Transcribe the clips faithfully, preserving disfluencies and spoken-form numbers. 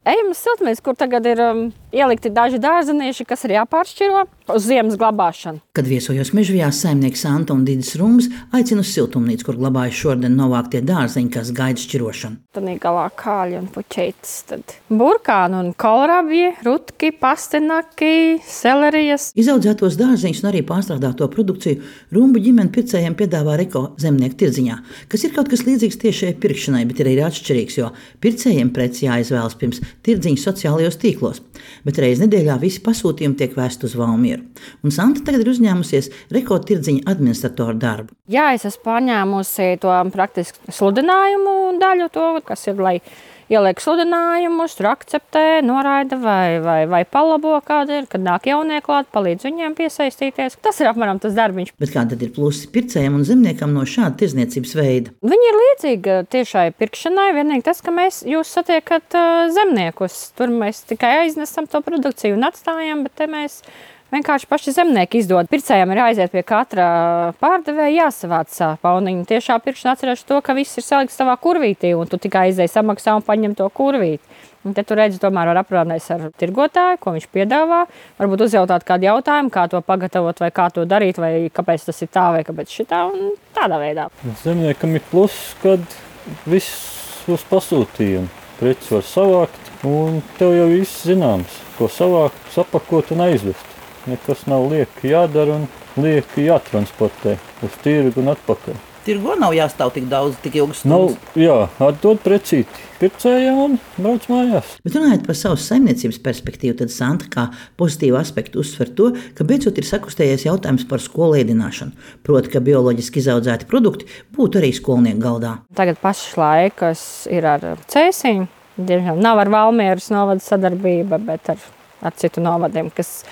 Ejam uz siltumnīcu, kur tagad ir um, ielikti daži dārzenieši, kas ir jāpāršķiro uz ziemas glabāšanu. Kad viesojos Mežvijā, saimnieks Santa un Didis Rumbs aicina uz siltumnīcu, kur glabājas šodien novāktie dārzeņi, kas gaida šķirošanu. Tad galā kāļi un puķeitis, tad burkāni un kohlrabi, rutki, pastenaki, selerijas. Izaudzētos dārzeņus un arī pārstrādāto produkciju Rumbu ģimene pircējiem piedāvā Reko zemnieku tirdziņā, kas ir kaut kas līdzīgs tiešai pirkšanai, bet ir arī atšķirīgs, jo pircējiem preci jāizvēlas pirms tirdziņu sociālajos tīklos. Bet reiz nedēļā visi pasūtījumi tiek vēsti uz Valmieru. Un Santa tagad ir uzņēmusies Reko tirdziņa administratoru darbu. Jā, es esmu paņēmusi to praktiski sludinājumu daļu, to, kas ir, lai ieliek sludinājumus, tur akceptē, noraida vai, vai, vai palabo kāda ir, kad nāk jaunie klāt, palīdz viņiem piesaistīties. Tas ir apmēram tas darbiņš. Bet kā tad ir plusi pircējiem un zemniekam no šāda tirdzniecības veida? Viņi ir līdzīgi tiešai pirkšanai, vienīgi tas, ka mēs jūs satiekat uh, zemniekus. Tur mēs tikai aiznesam to produkciju un atstājam, bet te mēs vienkārši paši zemnieki izdod. Pircējiem ir jāaiziet pie katra pārdevēja, jāsavāc pauniņu. Tiešā pirkšana atcerēšu to, ka viss ir salikts savā kurvītī, un tu tikai aizēji samaksā un paņem to kurvīti. Un te tu redzi, tomēr var aprunāties ar tirgotāju, ko viņš piedāvā. Varbūt uzjautāt kādu jautājumu, kā to pagatavot, vai kā to darīt, vai kāpēc tas ir tā, vai kāpēc šitā, un tādā veidā. Zemniekam ir pluss, kad viss uz pasūtījumu. Preces var savākt, un tev jau viss zināms, ko savākt, sapakot un aizvest. Nekas nav lieki jādara un lieki jātransportē uz tirgu un atpakaļ. Tirgo nav jāstāv tik daudz, tik ilgas stundas. Nav, jā, atdod precīti pircējiem un brauc mājās. Bet runājot par savas saimniecības perspektīvu, tad Santa kā pozitīvu aspektu uzsver to, ka beidzot ir sakustējies jautājums par skolu ēdināšanu. Proti, ka bioloģiski izaudzēti produkti būtu arī skolnieku galdā. Tagad pašlaik, kas ir ar Cēsiņu, diemžēl nav ar Valmieras novada sadarbība, bet ar, ar citu novadiem, kas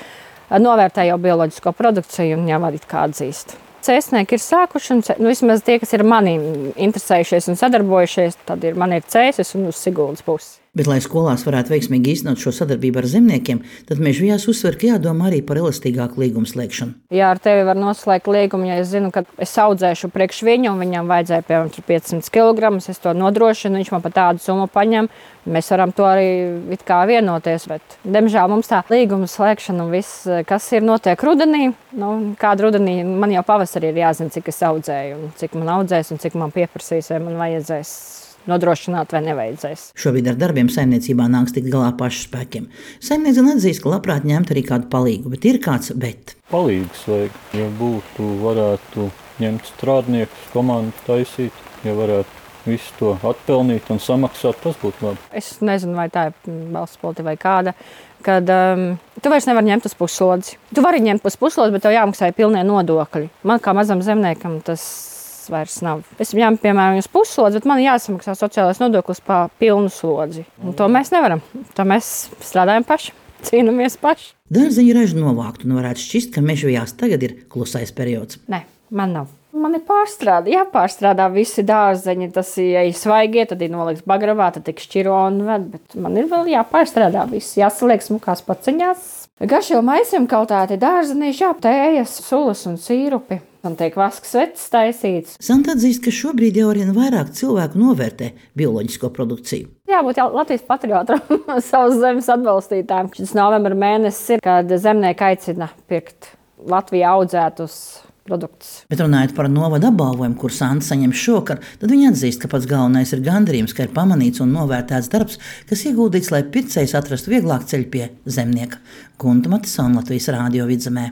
novērtē jau bioloģisko produkciju un jau arī kā atzīst. Cēsnieki ir sākuši, un nu, vismaz tie, kas ir mani interesējušies un sadarbojušies, tad ir, man ir Cēsis un uz Siguldas pusi. Bet, lai skolās varētu veiksmīgi īstenot šo sadarbību ar zemniekiem, tad Mežvijās uzsver, ka jādomā arī par elastīgāku līgumu slēgšanu. Jā, ar tevi var noslēgt līgumu, ja es zinu, ka es audzēšu priekš viņu, un viņam vajadzēja piemēram piecsimt kilogramus, es to nodrošinu, viņš man pa tādu summu paņem. Mēs varam to arī it kā vienoties, bet, diemžēl, mums tā līguma slēgšana un viss, kas ir notiek rudenī, nu, kādu rudenī, man jau pavasarī ir jāzina, cik es audzēju, un cik man audzēs, un cik man pieprasīs, vai man vajadzēs nodrošināt vai nevajadzēs. Šobrīd ar darbiem saimniecībā nāks tikt galā pašu spēkiem. Saimniece atzīst, ka labprāt ņemt arī kādu palīgu, bet ir kāds bet. Palīgs vajag, ja būtu, varētu ņemt strādniekus, komandu taisīt, ja varētu visu to atpelnīt un samaksāt, tas būtu labi. Es nezinu, vai tā ir valsts politika vai kāda, kad um, tu vairs nevari ņemt uz puslodzi. Tu vari ņemt uz puslodzi, bet tev jāmaksā pilnie nodokļi. Man kā mazam zemniekam tas vairs nav. Es ņemu, piemēram, uz puslodzi, bet man jāsamaksā sociālais nodoklis pa pilnu slodzi. Un to mēs nevaram. To mēs strādājam paši, cīnamies paši. Dārzeņu ražu novākt un varētu šķist, ka Mežvijās tagad ir klusais periods. Nē, man nav. Man ir pārstrādā, jāpārstrādā visi dārzeņi. Tas, ja ir svaigie, tad ir noliks bagravā, tad tik šķiro un ved. Bet man ir vēl jāpārstrādā viss, jāsaliek smukās paciņās. Garšo maisiem kaltāti dārzenīši, jā, tējas, sulas un sīrupi. Un tiek vasks vecs taisīts. Santa atzīst, ka šobrīd jau arvien vairāk cilvēku novērtē bioloģisko produkciju. Jābūt jau Latvijas patriotam, savas zemes atbalstītājiem. Šis novembra mēnesis ir, kad zemnieki aicina pirkt Latvijā audzētus produktus. Bet runājot par novada apbalvojumu, kur Santa saņem šokar, tad viņa atzīst, ka pats galvenais ir gandarījums, ka ir pamanīts un novērtēts darbs, kas ieguldīts, lai pircējs atrastu vieglāk ceļu pie zemnieka. Gunta Matisona, Latvijas Rādio Vidzemē.